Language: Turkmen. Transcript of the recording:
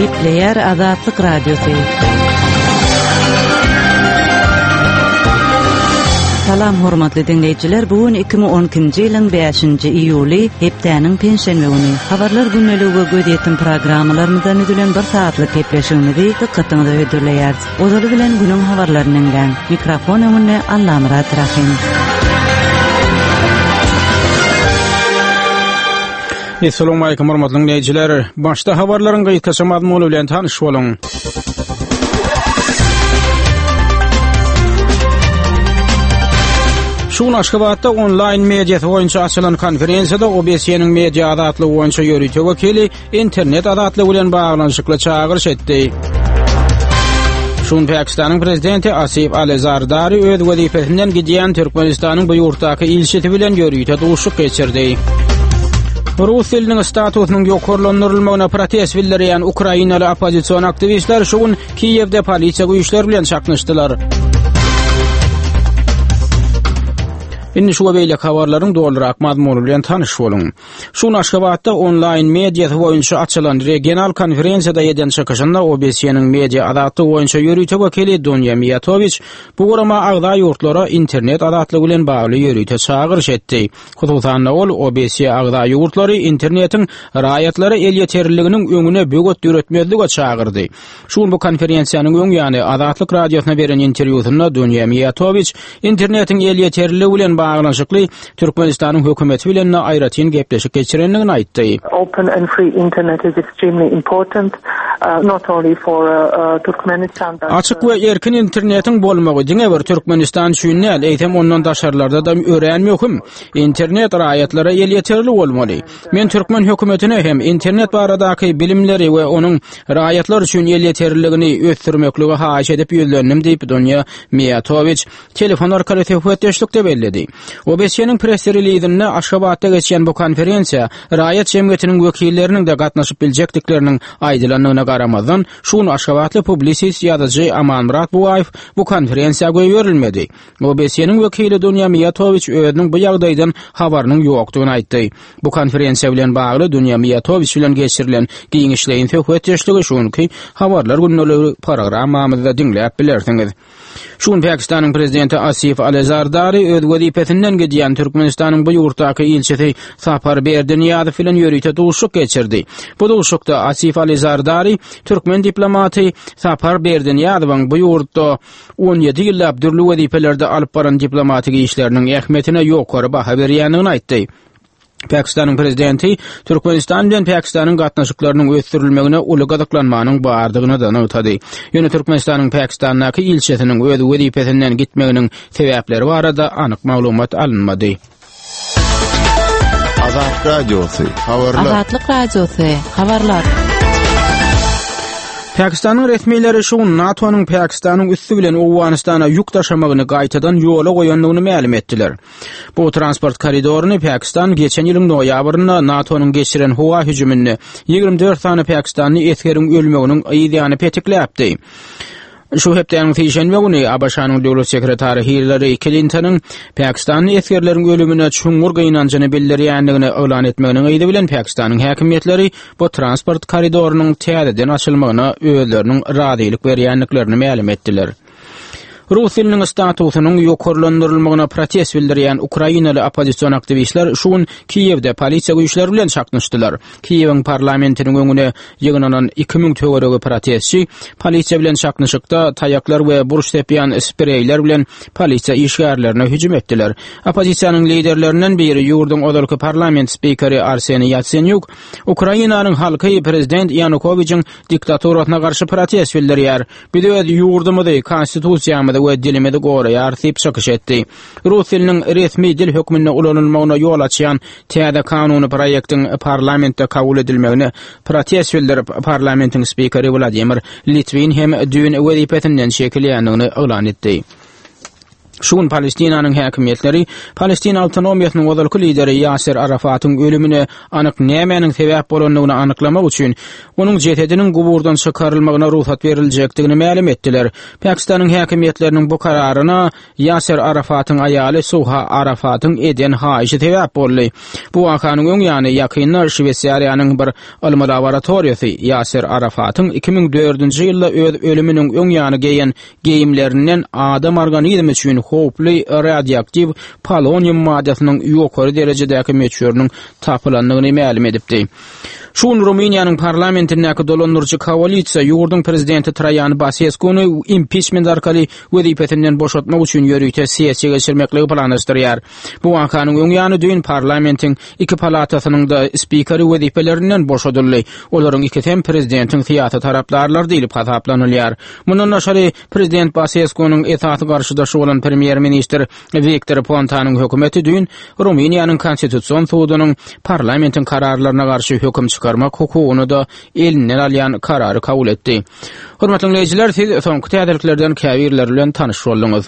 Gepleýär Azatlyk Radiosy. Salam hormatly diňleýjiler, bu gün 2012-nji ýylyň 5-nji iýuly, hepdäniň penşenbe güni. Habarlar gündeligi we gözýetim programmalarymyzdan düzülen bir sagatlyk gepleşigimizi dykgatyňyza hödürleýäris. Ozaly bilen günüň habarlaryny diňläň. Mikrofon öňünde Allamyrat Rahym. Assalamualaikum hormatly dinleýjiler. Başda habarlaryň gysgaça mazmuny bilen tanyş boluň. Şu gün Aşgabatda onlaýn mediasy boýunça açylan konferensiýada OBSE-niň media azatlygy boýunça ýörite wekili internet azatlygy bilen baglanyşykly çagyryş etdi. Şu gün Pakistanyň prezidenti Asif Ali Zardari öz wezipesinden gidýän Türkmenistanyň bu ýurtdaky ilçisi bilen ýörite duşuşyk geçirdi. Rus diliniň statusynyň ýokarlandyrylmagyna protest bildirýän ukrainaly oppozision aktiwistler şu gün Kiýewde polisiýa güýçleri bilen çaknyşdylar. Indi şu we beýleki habarlaryň dolurak mazmuny bilen tanyş boluň. Şu gün Aşgabatda onlaýn mediasy boýunça açylan regional konferensiýada eden çykyşynda OBSE-niň media azatlygy boýunça ýörite wekili Dunýa Miýatowiç bu gurama agza ýurtlara internet azatlygy bilen bagly ýörite çagyryş etdi. Hususan-da ol OBSE agza ýurtlary internetiň raýatlara elýeterliliginiň öňüne böwet döretmezlige çagyrdy. Şu gün bu konferensiýanyň öň ýany Azatlyk Radiosyna beren interwýusynda Dunýa Miýatowiç internetiň elýeterliligi bilen baglanyşykly Türkmenistanyň hökümeti bilen-de aýratyn gepleşik geçirendigini aýtdy. Open and free internet is extremely important, uh, not only for uh, uh, Turkmenistan but Açyk we erkin internetiň bolmagy diňe bir Türkmenistan üçin däl, eýsem ondan daşarlarda-da örän möhüm. Internet raýatlara elýeterli bolmaly. Men türkmen hökümetine hem internet baradaky bilimleri we onuň raýatlar üçin elýeterliligini ösdürmekligi haýyş edip ýüzlendim diýip, Dunýa Miýatowiç telefon arkaly söhbetdeşlikde belledi. OBSE-niň press-relizinde Aşgabatda geçýän bu konferensiýa raýat jemgyýetiniň wekilleriniň-de gatnaşyp biljekdikleriniň aýdylandygyna garamazdan, şu gün aşgabatly publisist ýazyjy Amanmyrat Bugaýew bu konferensiýa goýberilmedi. OBSE-niň wekili Dunýa Miýatowiç özüniň bu ýagdaýdan habarynyň ýokdugyny aýtdy. Bu konferensiýa bilen bagly Dunýa Miýatowiç bilen geçirilen giňişleýin söhbetdeşligi şu günki Habarlar gündeligi programmamyzda diňläp bilersiňiz. Şu gün Pakistanyň prezidenti Asif Ali Zardari öz wezipesinden gidýän Türkmenistanyň bu ýurtdaky ilçisi Sapar Berdinyýazow bilen ýörite duşuşyk geçirdi. Bu duşuşykda Asif Ali Zardari türkmen diplomaty Sapar Berdinyýazowyň bu ýurtda 17 ýyllap dürli wezipelerde alyp baran diplomatik işleriniň ähmiýetine ýokary baha berýändigini aýtdy. Pakistanyň prezidenti Türkmenistan bilen Pakistanyň gatnaşyklarynyň ösdürilmegine uly gyzyklanmanyň bardygyny-da nygtady. Ýöne Türkmenistanyň Pakistandaky ilçisiniň öz wezipesinden gitmeginiň sebäpleri barada anyk maglumat alynmady. Azat Radiosy, habarlar. Azatlyk Radiosy, habarlar. Pakistanyň resmileri şu gün NATO-nyň Pakistanyň üsti bilen Owganystana ýük daşamagyny gaýtadan ýola goýandygyny mälim etdiler. Bu transport koridoryny Pakistan geçen ýylyň noýabrynda NATO-nyň geçiren howa hüjüminde 24 sany pakistanly esgeriň ölmeginiň yz ýany petikläpdi. Şu hepdäniň sişenbe güni ABŞ-nyň döwlet sekretary Hillari Klintonyň pakistanly esgerleriň ölümine çuňňur gynanjyny bildirýändigini yglan etmeginiň yzy bilen Pakistanyň häkimiýetleri bu transport koridorynyň täzeden açylmagyna özleriniň razylyk berýändiklerini mälim etdiler. Rus diliniň statusynyň ýokarlandyrylmagyna protest bildirýän ukrainaly oppozision aktiwistler şu gün Kiýewde polisiýa güýçleri bilen çaknyşdylar. Kiýewiň parlamentiniň öňüne ýygnanan 2000 töweregi protestçi polisiýa bilen çaknyşykda taýaklar we burç sepýän spreýler bilen polisiýa işgärlerine hüjüm etdiler. Oppozisiýanyň liderlerinden biri ýurduň ozalky parlament spikeri Arseniý Ýatsenýuk Ukrainanyň halky prezident Ýanukowiçiň diktaturasyna garşy protest bildirýär. Biz öz ýurdumyzy, konstitusiýamyzy we dilimizi goraýarys diýip çykyş etdi. Rus diliniň resmi dil hökmünde ulanylmagyna ýol açýan täze kanuny proýektiň parlamentde kabul edilmegine protest bildirip, parlamentiň spikeri Wladimir Litwin hem düýn wezipesinden çekilýändigini yglan etdi. Şu gün Palestinanyň häkimiýetleri Palestina awtonomiýasynyň ozalky lideri Ýaser Arafatyň ölümine anyk nämäniň sebäp bolandygyny anyklamak üçin onuň jesediniň guburdan çykarylmagyna rugsat beriljekdigini mälim etdiler. Pakistanyň häkimiýetleriniň bu kararyna Ýaser Arafatyň aýaly Suha Arafatyň eden haýyşy sebäp boldy. Bu wakanyň öň ýany ýakynda Şweýsariýanyň bir ylmy laboratoriýasy Ýaser Arafatyň 2004-nji ýylda öz ölüminiň öň ýany geýen geýimlerinden adam organizmi üçin howply radioaktiw polonium maddasynyň ýokary derejedäki möçberiniň tapylandygyny mälim edipdi. Şu gün Rumyniýanyň parlamentindäki dolandyryjy koalisiýa ýurduň prezidenti Traýan Baseskuny impiçment arkaly wezipesinden boşatmak üçin ýörite sessiýa geçirmekligi planlaşdyrýar. Bu wakanyň öň ýany düýn parlamentiň iki palatasynyň-da spikeri wezipelerinden boşadyldy. Olaryň ikisi hem prezidentiň syýasy tarapdarlary diýlip hasaplanylýar. Mundan daşary, prezident Baseskunyň esasy garşydaşy bolan premýer-ministr Wiktor Pontanyň hökümeti düýn Rumyniýanyň Konstitusion sudunyň parlamentiň kararlaryna garşy höküm çykarmak hukugyny-da elinden alýan karary kabul etdi. Hormatly diňleýjiler, siz soňky täzeliklerden käbirleri bilen tanyş bolduňyz.